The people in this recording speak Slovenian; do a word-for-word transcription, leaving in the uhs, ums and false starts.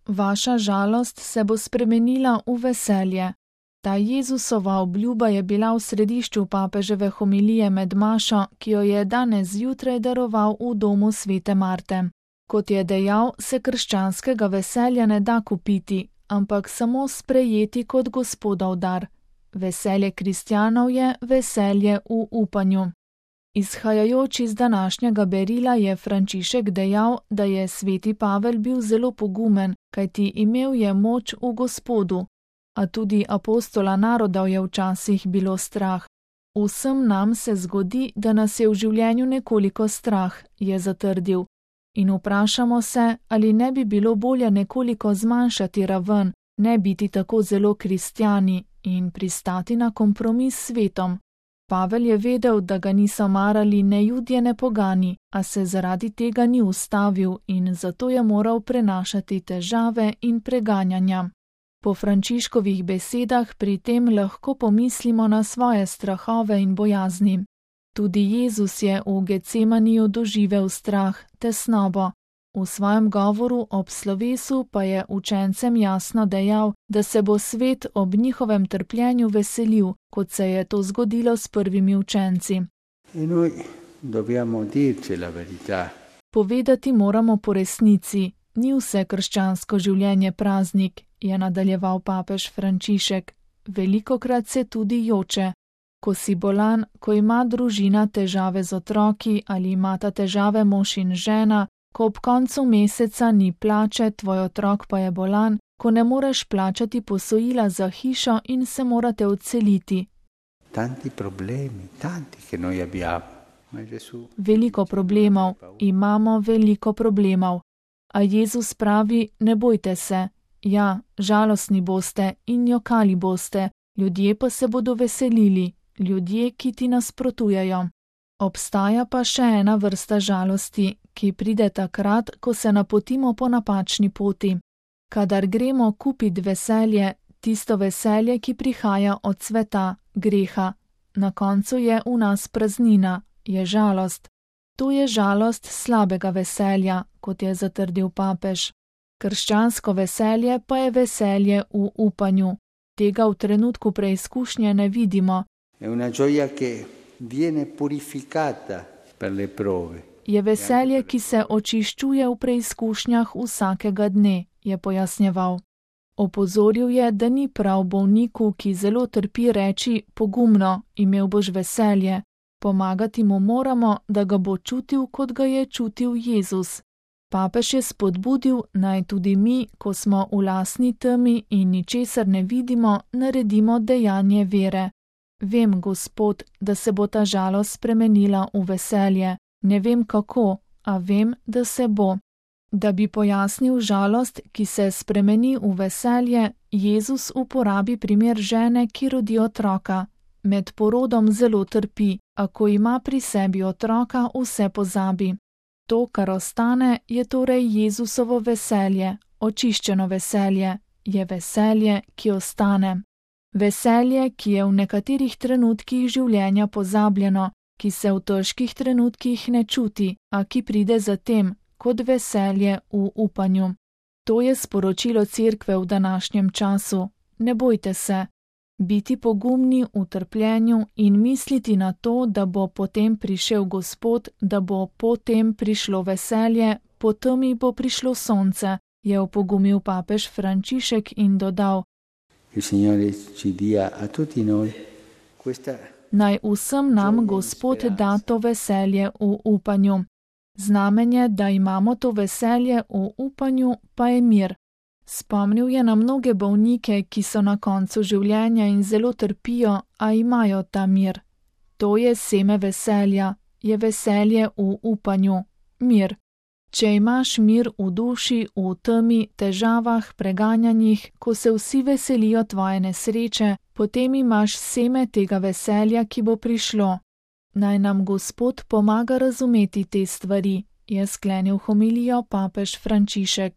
vaša žalost se bo spremenila v veselje. Ta Jezusova obljuba je bila v središču papeževe homilije med mašo, ki jo je danes zjutraj daroval v domu svete Marte. Kot je dejal, se krščanskega veselja ne da kupiti, ampak samo sprejeti kot Gospodov dar. Veselje kristjanov je veselje v upanju. Izhajajoč iz današnjega berila je Frančišek dejal, da je sveti Pavel bil zelo pogumen, kajti imel je moč v Gospodu, a tudi apostola narodov je včasih bilo strah. Vsem nam se zgodi, da nas je v življenju nekoliko strah, je zatrdil. In vprašamo se, ali ne bi bilo bolje nekoliko zmanjšati raven, ne biti tako zelo kristjani in pristati na kompromis s svetom. Pavel je vedel, da ga niso marali ne Judje ne pogani, a se zaradi tega ni ustavil in zato je moral prenašati težave in preganjanja. Po Frančiškovih besedah pri tem lahko pomislimo na svoje strahove in bojazni. Tudi Jezus je v Getsemaniju doživel strah, tesnobo. V svojem govoru ob slovesu pa je učencem jasno dejal, da se bo svet ob njihovem trpljenju veselil, kot se je to zgodilo s prvimi učenci. Povedati moramo po resnici, ni vse krščansko življenje praznik, je nadaljeval papež Frančišek. Velikokrat se tudi joče. Ko si bolan, ko ima družina težave z otroki ali imata težave mož in žena, ko ob koncu meseca ni plače, tvoj otrok pa je bolan, ko ne moreš plačati posojila za hišo in se morate odseliti. Tanti problemi, tanti, che noi abbiamo. Veliko problemov, imamo veliko problemov. A Jezus pravi, ne bojte se. Ja, žalostni boste in jokali boste, ljudje pa se bodo veselili, ljudje, ki ti nasprotujejo. Obstaja pa še ena vrsta žalosti, ki pride takrat, ko se napotimo po napačni poti. Kadar gremo kupit veselje, tisto veselje, ki prihaja od sveta, greha. Na koncu je v nas praznina, je žalost. To je žalost slabega veselja, kot je zatrdil papež. Krščansko veselje pa je veselje v upanju. Tega v trenutku preizkušnje ne vidimo. È una gioia che viene purificata per le prove. Je veselje, ki se očiščuje v preizkušnjah vsakega dne, je pojasnjeval. Opozoril je, da ni prav bolniku, ki zelo trpi, reči pogumno, imel boš veselje. Pomagati mu moramo, da ga bo čutil, kot ga je čutil Jezus. Papež je spodbudil, naj tudi mi, ko smo v lastni temi in ničesar ne vidimo, naredimo dejanje vere. Vem, Gospod, da se bo ta žalost spremenila v veselje. Ne vem kako, a vem, da se bo. Da bi pojasnil žalost, ki se spremeni v veselje, Jezus uporabi primer žene, ki rodi otroka. Med porodom zelo trpi, a ko ima pri sebi otroka, vse pozabi. To, kar ostane, je torej Jezusovo veselje, očiščeno veselje, je veselje, ki ostane. Veselje, ki je v nekaterih trenutkih življenja pozabljeno, ki se v težkih trenutkih ne čuti, a ki pride zatem, kot veselje v upanju. To je sporočilo Cerkve v današnjem času. Ne bojte se. Biti pogumni v trpljenju in misliti na to, da bo potem prišel Gospod, da bo potem prišlo veselje, potem bo prišlo sonce, je opogumil papež Frančišek in dodal: Naj vsem nam Gospod da to veselje v upanju. Znamenje, da imamo to veselje v upanju, pa je mir. Spomnil je na mnoge bolnike, ki so na koncu življenja in zelo trpijo, a imajo ta mir. To je seme veselja, je veselje v upanju, mir. Če imaš mir v duši, v temi, težavah, preganjanjih, ko se vsi veselijo tvoje nesreče, potem imaš seme tega veselja, ki bo prišlo. Naj nam Gospod pomaga razumeti te stvari, je sklenil homilijo papež Frančišek.